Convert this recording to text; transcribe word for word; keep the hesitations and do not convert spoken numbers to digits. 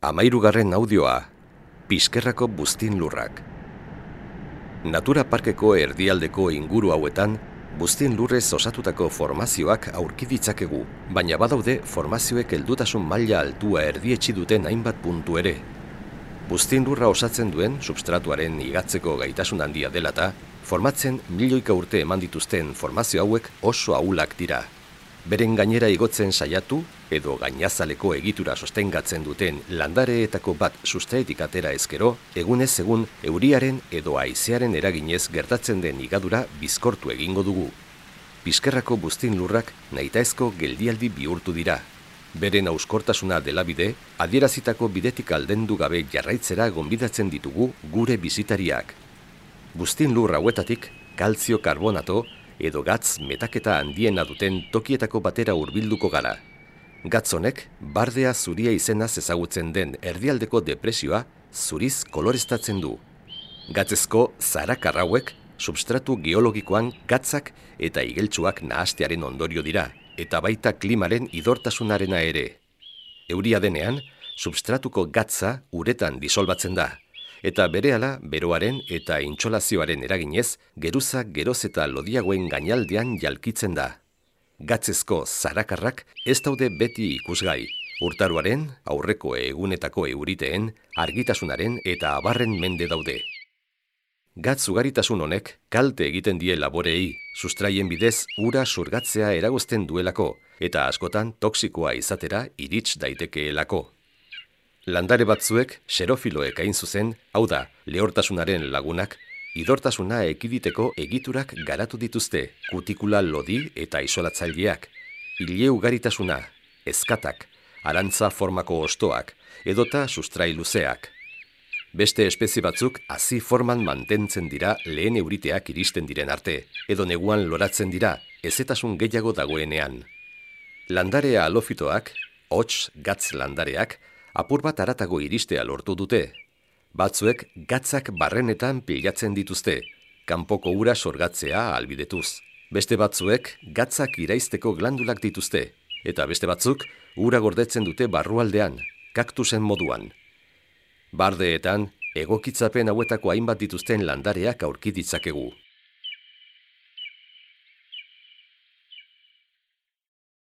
Hamahirugarren audioa, Piskerrako buztin lurrak. Natura parkeko erdialdeko inguru hauetan, buztin lurrez osatutako formazioak aurki ditzakegu, baina badaude formazioek heldutasun maila altua erdietsi duten hainbat puntu ere. Buztin lurra osatzen duen substratuaren igatzeko gaitasun handia dela eta, formatzen milioika urte eman dituzten formazio hauek oso ahulak dira. Beren gainera igotzen saiatu edo gainazaleko egitura sostengatzen duten landareetako bat sustraetik atera ezkero, egunez egun euriaren edo haizearen eraginez gertatzen den igadura bizkortu egingo dugu. Piskerrako buztin lurrak nahitaezko geldialdi bihurtu dira. Beren auskortasuna dela bide, adierazitako bidetik aldendu gabe jarraitzera gonbidatzen ditugu gure bisitariak. Buztin lur hauetatik kaltzio karbonato edo gatz metaketa handiena duten tokietako batera hurbilduko gara. Gatz honek, bardea zuria izenaz ezagutzen den erdialdeko depresioa zuriz koloreztatzen du. Gatzezko zarakar hauek substratu geologikoan gatzak eta igeltsuak nahastearen ondorio dira, eta baita klimaren idortasunarena ere. Euria denean, substratuko gatza uretan disolbatzen da, eta berehala beroaren eta intsolazioaren eraginez, geruza geroz eta lodiagoen gainaldean jalkitzen da. Gatzezko zarakarrak ez daude beti ikusgai, urtaroaren, aurreko egunetako euriteen, argitasunaren eta abarren mende daude. Gatz ugaritasun honek kalte egiten die laboreei, sustraien bidez ura surgatzea eragozten duelako, eta askotan toxikoa izatera irits daitekeelako. Landare batzuek, xerofiloek hain zuzen, hau da, lehortasunaren lagunak, idortasuna ekiditeko egiturak garatu dituzte, kutikula lodi eta isolatzaileak, ile ugaritasuna, ezkatak, arantza formako ostoak, edota sustrai luzeak. Beste espezie batzuk hazi forman mantentzen dira lehen euriteak iristen diren arte, edo neguan loratzen dira, ezetasun gehiago dagoenean. Landare halofitoak, hots gatz landareak, apur bat haratago iristea lortu dute. Batzuek gatzak barrenetan pilatzen dituzte, kanpoko ura sorgatzea ahalbidetuz. Beste batzuek gatzak iraizteko glandulak dituzte, eta beste batzuk ura gordetzen dute barrualdean, kaktusen moduan. Bardeetan, egokitzapen hauetako hainbat dituzten landareak aurki ditzakegu.